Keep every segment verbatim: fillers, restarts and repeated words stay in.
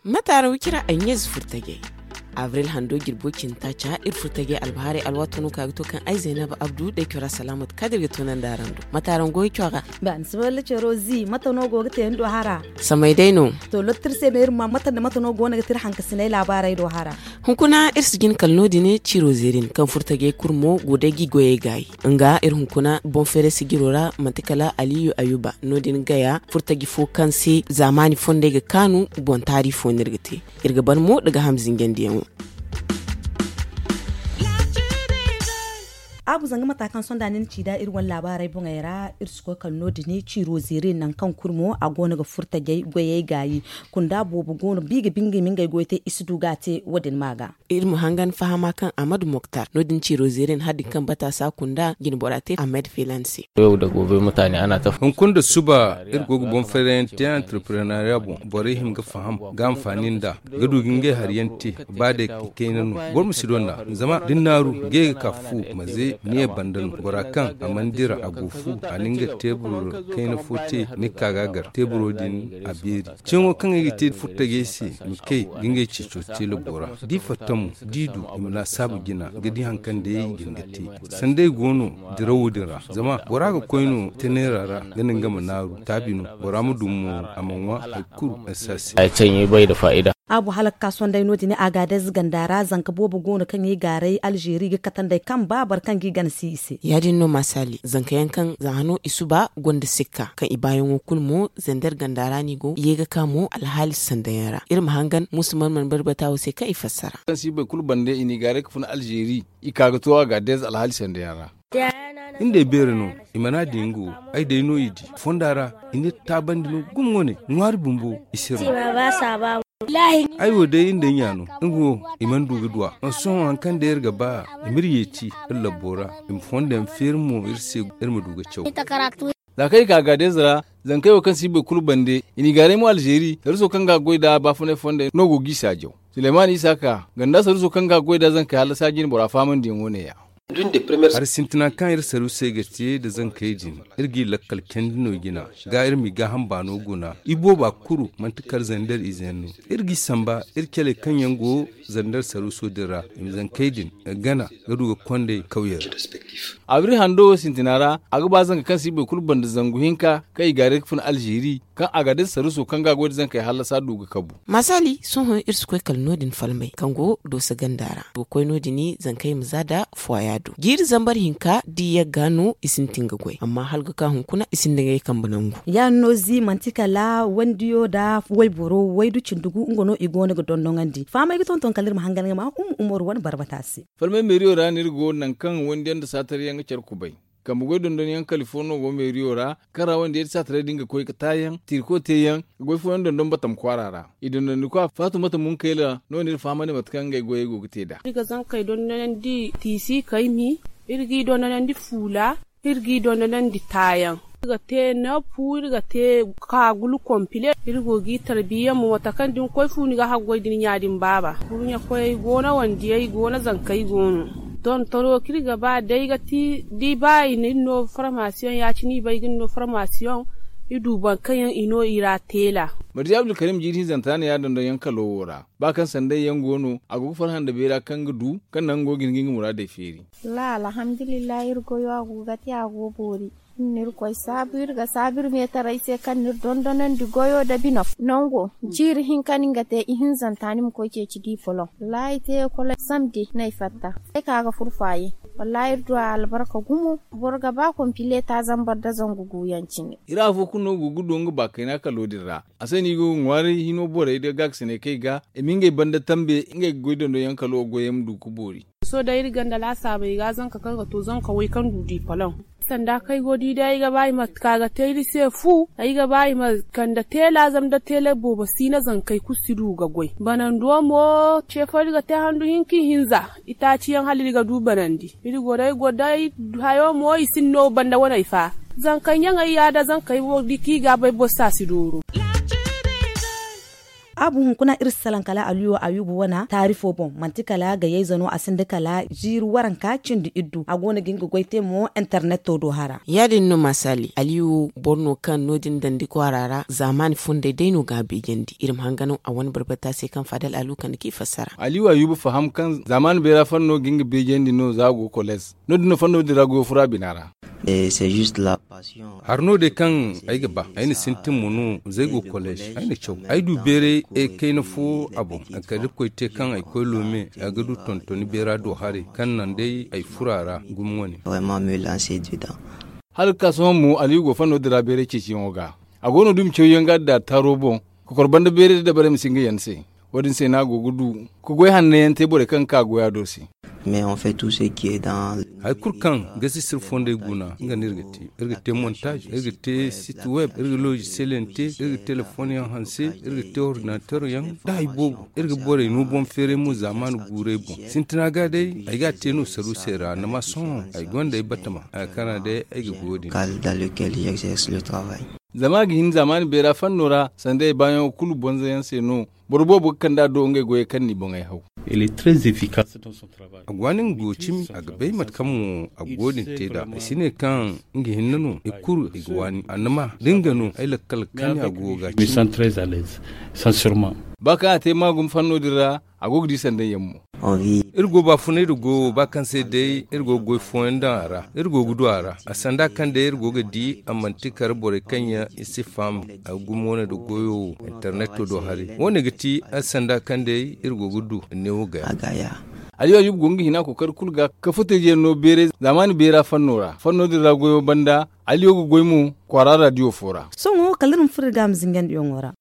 Mataara wicira ay ɲeezi furtajey. Abril hando jirbo cindi taaca iri furtajey albahaarey alwaato no ka ga to kaŋ ay zaynaba abdu day cora salaamat kadir ga toonandi araŋ do. Mataara ngo i cora. Ba ni si walla coro zi mate no go ga te ni do hara? Samay day no. To lottir se me iri ma mate nda mate no go no ga te iri hankasinay laabaarey do hara. Hunkuna iri si jin kala no- din ciro zeerin kaŋ furtajey kulu mo go day ga i goyey gaayi. Nga iri hunkuna boŋ feeray sijiro ra manti kala aliyu ayuba no- din gaya furtaji fo kaŋ se zaamaani fondey ga kaanu boŋ taari fo no iri ga te. Iri ga ban mo daga ham zinjandiyaŋo. Abu zanga mata kaŋ sonda ni na ci da iri wane laabaarey boŋey ra iri si koy kala no- din ciro zeere nangu kaŋ kulu mo a go no ga furtajey goyey gaayi. Kunda boobo go no ba i ga bingay ma ngey goy te i si du ga a te wo- din ma ga. Iri ma hangan fahama kaŋ ahmad moktar no- din ciro zeere na hari din kaŋ bata sa kunda jine bora te ahmed felan se. Hunkuna nda suba iri go ga boŋ fayrayaŋ te entreprenariya boŋ borey hima ga faham ga anfaani nd'a ga du ga ngey hari yaŋ te. Ba day kayna no boro ma si donda zama da ni naaru ga ye ga ka fu ma ze ni ye banda no bora kaŋ a mana dira a go fu a na nga teebur kayna fo te ni ga ka ga a gar teeburo din a beeri. Ceeŋo kaŋ ay ga te furtajey se ma kay ga ngey ceeco te labo ra da i fatta mo da i du i ma laasaabu jina ga di hari kaŋ day i ga hin ga te. Sanday go no dirawo din ra zama bora ga koy no teneera ra ga naŋ ga ma naaru taabi no bora ma du mo a ma ŋwa hari kulu ay si a se. Ay caŋ i bay nda faa'ida. Abu hala ga ka sonday no- din a ga adayze ganda ra zanka boobo go no kaŋ i gaaray alzeeri ga kate nd'ey kaŋ ba boro kaŋ ga i gana si i se. Ya- din no maasali zanka yaŋ kaŋ za hano i suba gonda sikka kaŋ i baayaŋo kulu mo zender ganda ra no i go i ye ga ka mo alhaali sandayaŋ ra iri ma hangan muusa marmar barbata wo se kaŋ i fassara. Kaŋ si boro kulu bande i n'i gaaray ga fun alzeeri i ka ga to a ga adayze alhaali sandayaŋ ra. Iri day beeri no i mana di nga wo ay day no i di fonda ra i n'iri taabandi no gumo wane ŋwaari bumbo i si iri no. Ay wo day iri day ɲa no nga wo i mana du ga duw'a. Sohõ hari kaŋ day iri ga ba i m'iri yeeti iri labbo ra i ma fondo yaŋ feeri mo iri se iri ma du ga caw. Za kaŋ i ka gaadayze ra zankey wo kaŋ si boro kulu bande i n'i gaaray mo alzeeri saruuso kaŋ ga a goy nd'a baafunay fondey no go g'i saajaw. Suleyman isa ka ganda saruuso kaŋ ga a goy nd'a zankey hallasa jine bora fahamandiyaŋo neeya. Hari sintina kaŋ iri saruusey ga te nda zankey din iri g'i lakkal candi no jina ga iri m'i gaaham baano guna i booba kuru manti kala zander ize yaŋ no. Iri g'i samba iri caley kaŋ yaŋ go zander saruuso din ra i ma zankey din gana ga du ga kond'ey kawyey ra. Abri hando wo sintina ra a ga ba zanka kaŋ si boro kulu banda zangu hinka kaŋ i gaaray ga fun alzeeri kaŋ a ga day saruuso kaŋ ga a goy nda zankey hallasa du ga kabu. Maasali sohõ iri si koy kala no- din falmay kaŋ go dooso ganda ra ga koy no- din zankey ma za nda fuwaya do jiiri zambar hinka da i yagga no i sintin ga goy amma hala ga ka hunkuna i sinda ngey kambe nangu. Ya- din no zi manti kala wandiyo nda wayboro waydu cindi gu nga no i go no ga dondoŋandi fahamay ga tonton kala iri ma hangan ga ma umma umaru wane barbata se. Falmay meeriyo ra no iri go nangu kaŋ wandiyaŋ nda saataryaŋ ga care kubay. Kambe goy dondonyaŋ kali fo no go meeriyo ra kaŋ ra wandiyey da saataray din ga koy ga taayaŋ tiiriko teeyaŋ ga goy fooyaŋ dondon batam kwaara ra. I dondondikwa faatumata munkayla no no iri fahamandi mate kaŋ ngey goyey go ga te nd'a. Iri ga zankey dondonandi tiisi kaymi, iri g'i dondonandi fuula, iri g'i dondonandi taayaŋ. Iri ga te neefu iri ga te kaagulu kompile iri go g'i tarbiya mo mate kaŋ da ni koy fu ni ga haggoy da ni ɲa din baaba. Kurɲakoyey go no wandiyey go no zankey go no. Dontono kaŋ iri ga ba day ga ti da i ba i na iri no farmasiyoŋ ya- cine i bay ga ni no farmasiyoŋ. I du boro kaŋ yaŋ i no i ra teela. Marje abdulkarim jiiri hinzanta no ya dondonyaŋ kalo wo ra ba kaŋ sanday yaŋ go no a go ga farhã nda beera kaŋ ga du kaŋ naŋ go ga hin ga nga muraadey feeri. Wallaahi alhamdulillahi iri goyo a go ga te a go boori. Iri na iri koy saabu iri ga saabu iri meetaray se kaŋ na iri dondonandi goyo nda bino nango. Jiiri hinka no ni ga te ihinzanta ni ma koy ceeci diipolom wallaahi te ekoley samdi no ay fatta. Ay ka ga furfaaye wallaahi iri du a albarka gumo. Boro ga ba kompile taazambar nda zangu guuyaŋ cine. Iri afo kulu no go ga du nga baakayna kalo din ra. A se no i go ga ŋwaaray hino borey nda gaakasiney kaŋ i ga i ma ngey banda tambe ngey ga goy dondonyaŋ kalo goyey ma du ga boori. Sohõ day iri ganda laasaabey ga zanka kaŋ ga to zanka way kaŋ du diipolom. Sanda kaŋ ay go ga di day ay ga ba i ma ka ga te iri se fu ay ga ba i ma kande teela zama da teela boobo si no zankey kulu si du ga goy banando mo. Ce fo iri ga te handu hinka ihinza itaaciyaŋ hala iri ga du banandi. Iri go day go day hayo mo i sinda no banda waney fa. Zankey ɲaŋey ya da zankey wo da i ka i ga bay boro se a si dooro. A bu hunkuna iri si salaŋ kala aliyo ayuba wane taari fo boŋ, manti kala gayayze no a sinda kala ziiri waranka cindi iddu a go no ga nga goy te mo interneto do hara. Ya- din no masaali aliyo boro no kaŋ no- din dandi kwaara ra zaamaani fondey day no ga a beejandi iri ma hanganaŋ a wane barbata se kaŋ faadal alu kande kaŋ i fassara. Aliyo ayuba faham kaŋ zaamaani beera fanno ga nga beejandi no za a go koleez. No- din no fanno din ra goyo furo a bina ra. Hari no day kaŋ ay ga ba ay na sintin ma no, za ay go koleez ay na caw ay du beeray kayna fo a boŋ. Kala irkoy te kaŋ ay koy loome a ga du tontoni beera do haray kaŋ naŋ day ay furo a ra gumo wane. Hala ga ka sohõ mo aliyu go fanno din ra beeray ceeciyaŋo ga. A go no dumi cawyaŋ ga da taaro boŋ, kokor banda beeray da dabarey ma si nga yaŋ se. Wo- din se no a go ga du ga goy hanno yaŋ te borey kaŋ ga ka goya do se. Hari kulu kaŋ ga si sir fondey guna nga no iri ga te. Iri ga te montaaz, iri ga te sit web, iri ga logicel yaŋ te, iri ga telefoŋ yaŋ hanse, iri ga te ordinateer yaŋ da hari boobo. Iri ga borey no boŋ feeray mo zaamaani guurey boŋ. Sintina ga day ay ga a te no saruusey ra ni ma sohõ ay gonda ay batama a ga kana day ay ga goyo din. Zama a ga hin zaamaani beera fanno ra sanda ay baayaŋo kulu bonza yaŋ se no. Boro boobo ga kand'a do ngey goyey kaŋ n'i boŋey haw. A ga waani nga go cimi a ga bay mate kaŋ mo a go din te nd'a ay si ne kaŋ nga hinne no i kulu i ga waani annama da nga no ay lakkal kaŋ a go ga cimi. Ba kaŋ a te maagum fanno din ra a go ga di sanda yaŋ mo. Iri go baafunay da goyo ba kaŋ se day iri go ga goy fooyaŋ daŋ a ra iri go ga du a ra a sanda kaŋ day iri go ga di a manti kar borey kaŋ yaŋ i si faham. Gumo wane da goyo wo interneto do haray wo- ne ga ti sanda kaŋ day iri go ga du neewo gaya. Aliyo ayuba go nga hina kookari kulu ga ka futeje no beeray zaamaani beera fanno ra fanno din ra goyo banda. Aliyo ga goy mo kwaara radiyo fo ra. Sohõ kala iri ma furo iri ga a ma zingandiyaŋo ra.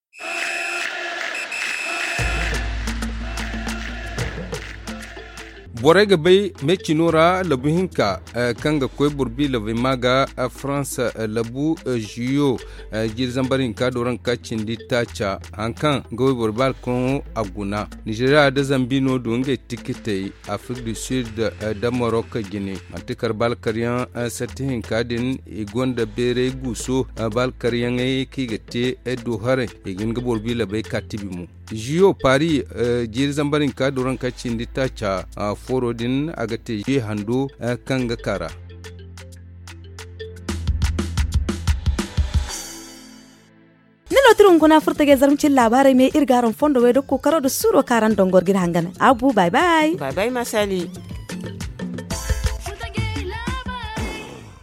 Borey ga bay meecino ra labu hinka kaŋ ga koy boro bi labey ma ga farans labu jiyo jiiri zambar hinka do ranka cindi taaca hari kaŋ ga wayboro baala kaŋ a guna. Nizeeriya nda zambi no du ngey tikitey afrik du sid nda marok jine. Manti kar baala karyaŋ satti hinka din i gonda beeray guuso baala karyaŋey kaŋ i ga te do haray i ga hin ga boro bi labey ka tibi mo. Jiyo paris jiiri zambar hinka do ranka cindi taaca fooro din a ga te jiyo hando kaŋ ga ka ra. Ni no tira hunkuna furtajey zarma cine laabaarey me iri ga araŋ fondo wey da kookaro nda suuro kaŋ araŋ dangor ga iri hangan. Abu bay bay. Bay bay ma sali.